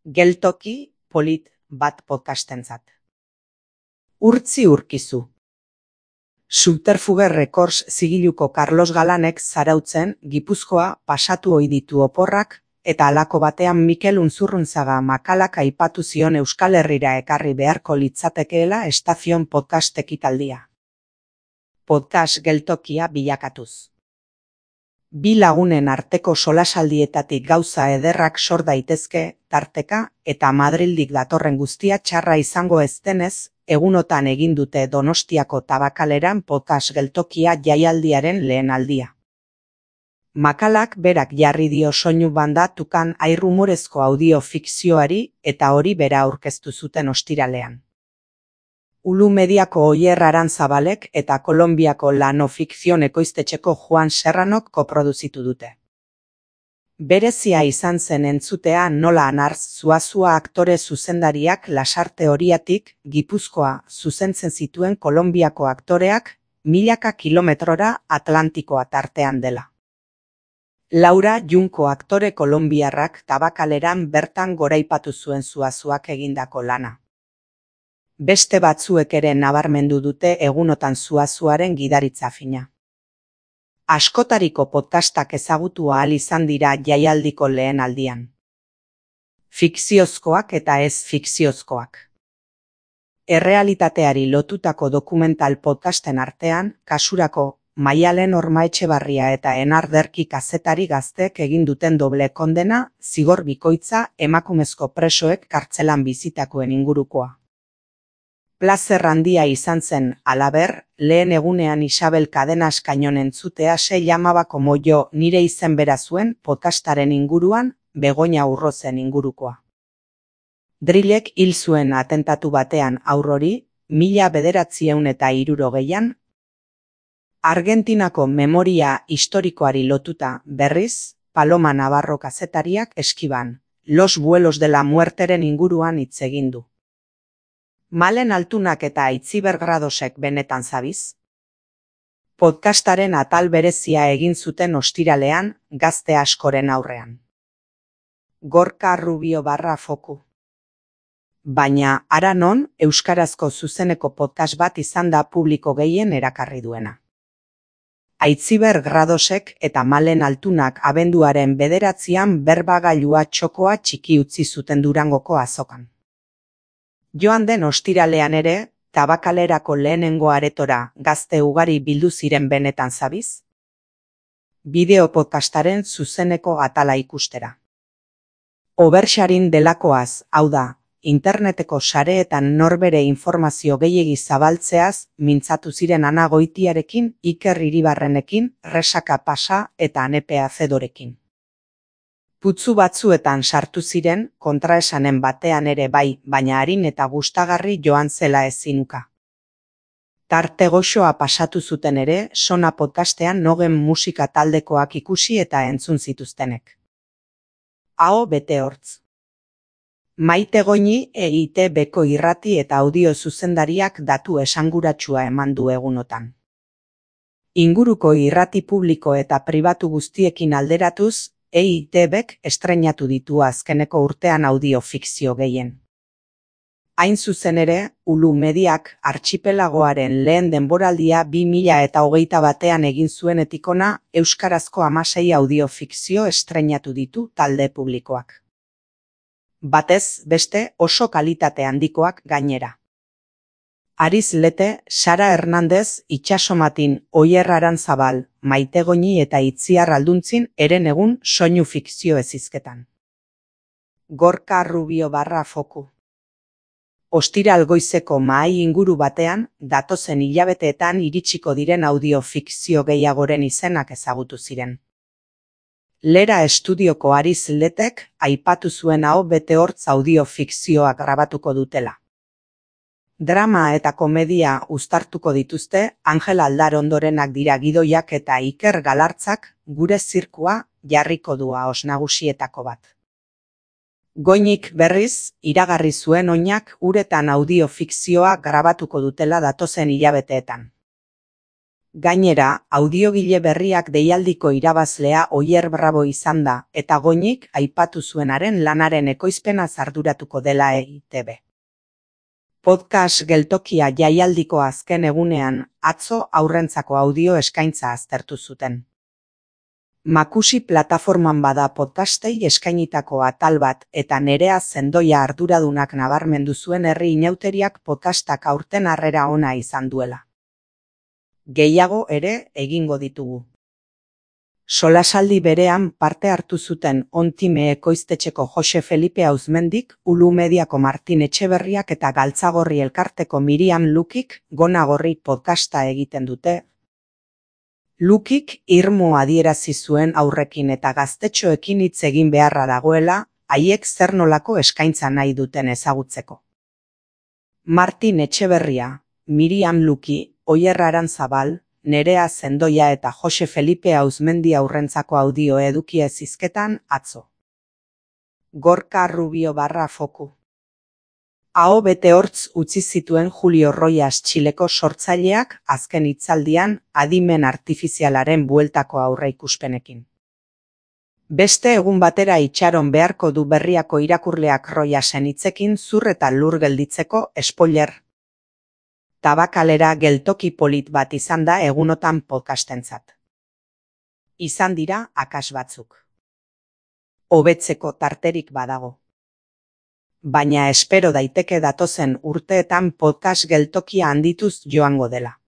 Geltoki polit bat podcastentzat. Urtzi urkizu. Subterfuge Records zigiluko Carlos Galanek Zarautzen, Gipuzkoa pasatu ohi ditu oporrak, eta halako batean Mikel Unzurrunzaga Makalak aipatu zion Euskal Herrira ekarri beharko litzatekeela Estazion podcast ekitaldia. Podcast geltokia bilakatuz. Bi lagunen arteko solasaldietatik gauza ederrak sor daitezke, tarteka, eta Madrildik datorren guztia txarra izango ez denez, egunotan egin dute Donostiako Tabakaleran podcast geltokia jaialdiaren lehen aldia. Makalak berak jarri dio soinu banda tukan airrumorezko audio fikzioari eta hori bera aurkeztu zuten ostiralean. Ulu Mediako Oier Arantzabalek eta Kolonbiako Lano Fikzion ekoiztetxeko Juan Serranok koproduzitu dute. Berezia izan zen entzutea nola Anartz Zuazua aktore zuzendariak Lasarte Oriatik, Gipuzkoa zuzentzen zituen Kolonbiako aktoreak, milaka kilometrora Atlantikoa tartean dela. Laura Junko aktore kolonbiarrak Tabakaleran bertan goraipatu zuen Zuazuak egindako lana. Beste batzuek ere nabarmendu dute egunotan Zuazuaren gidaritza fina. Askotariko podcastak ezagutu ahal izan dira jaialdiko lehen aldian. Fikziozkoak eta ez fikziozkoak. Errealitateari lotutako dokumental podcasten artean, kasurako Maialen Ormaetxebarria eta Enar Derki kazetari gaztek egin duten doble kondena, zigor bikoitza emakumezko presoek kartzelan bizitakoen ingurukoa. Plazer handia izan zen, halaber, lehen egunean Isabel Cadenas Kainon entzutea sei amabako moio nire izen bera zuen podcastaren inguruan, Begoña Urrozen ingurukoa. Drillek hil zuen atentatu batean aurrori, 1960an, Argentinako memoria historikoari lotuta berriz, Paloma Navarro kazetariak Eskiban, Los vuelos de la muerteren inguruan hitz egin du. Malen Altunak eta Aitziber Gradosek benetan zabiz? Podcastaren atal berezia egin zuten ostiralean, gazte askoren aurrean. Gorka Rubio _foku. Baina, hara non, euskarazko zuzeneko podcast bat izan da publiko gehien erakarri duena. Aitziber Gradosek eta Malen Altunak abenduaren 9an berbagailua txokoa txiki utzi zuten Durangoko azokan. Joan den ostiralean ere, Tabakalerako lehenengo aretora gazte ugari bildu ziren benetan zabiz? Bideo podcastaren zuzeneko atala ikustera. Oversharing delakoaz, hau da, interneteko sareetan norbere informazio gehiegi zabaltzeaz mintzatu ziren Ana Goitiarekin, Iker Iribarrenekin, Resaka Pasa eta Anepe Azedorekin. Putzu batzuetan sartu ziren, kontraesanen batean ere bai, baina arin eta gustagarri joan zela ezinuka. Tarte goxoa pasatu zuten ere, Sona podcastean Nogen musika taldekoak ikusi eta entzun zituztenek. Aho bete hortz. Maite Goñi EITB-ko irrati eta audio zuzendariak datu esanguratsua eman du egunotan. Inguruko irrati publiko eta pribatu guztiekin alderatuz, EITB-k estreinatu ditu azkeneko urtean audio fikzio gehien. Hain zuzen ere, Ulu Mediak artxipelagoaren lehen denboraldia 2021an egin zuenetik hona euskarazko 16 audio fikzio estreinatu ditu talde publikoak. Batez beste oso kalitate handikoak gainera. Ariz Lete, Sara Hernandez, Itxasomatin, Oier Arantzabal, Maite Goñi eta Itziar Alduntzin eren egun soinu fikzio ezizketan. Gorka Rubio _foku. Ostiral goizeko mahai inguru batean, datozen hilabeteetan iritsiko diren audio fikzio gehiagoren izenak ezagutu ziren. Lera estudioko Ariz Letek aipatu zuen aho bete hortz audio fikzioak grabatuko dutela. Drama eta komedia uztartuko dituzte, Angel Aldarondorenak dira gidoiak eta Iker Galartzak gure zirkua jarriko du ahoz nagusietako bat. Goñik berriz, iragarri zuen oinak uretan audio fikzioa grabatuko dutela datozen hilabeteetan. Gainera, audiogile berriak deialdiko irabazlea Oier Bravo izan da, eta Goñik aipatu zuenaren lanaren ekoizpena arduratuko dela EITB. Podcast geltokia jaialdiko azken egunean, atzo haurrentzako audio eskaintza aztertu zuten. Makusi plataforman bada podcastei eskainitako atal bat eta Nerea Zendoia arduradunak nabarmendu zuen herri inauteriak podcastak aurten harrera ona izan duela. Gehiago ere egingo ditugu. Solasaldi berean parte hartu zuten On-Time ekoiztetxeko Jose Felipe Auzmendik, Ulu Mediako Martin Etxeberriak eta Galtzagorri elkarteko Miriam Lukik Gonagorri podcasta egiten dute. Lukik irmo adierazi zuen aurrekin eta gaztetxoekin hitz egin beharra dagoela, haiek zer nolako eskaintza nahi duten ezagutzeko. Martin Etxeberria, Miriam Luki, Oier Aranzabal, Nerea Zendoia eta Jose Felipe Auzmendi aurrentzako audio edukia zizketan atzo. Gorka Rubio /foku. Aho bete hortz utzi zituen Julio Roias Txileko sortzaileak azken hitzaldian adimen artifizialaren bueltako aurreikuspenekin. Beste egun batera itxaron beharko du Berriako irakurleak Roiasen hitzekin zur eta lur gelditzeko spoiler. Tabakalera geltoki polit bat izan da egunotan podcastentzat. Izan dira akas batzuk. Hobetzeko tarterik badago. Baina espero daiteke datozen urteetan podcast geltokia handituz joango dela.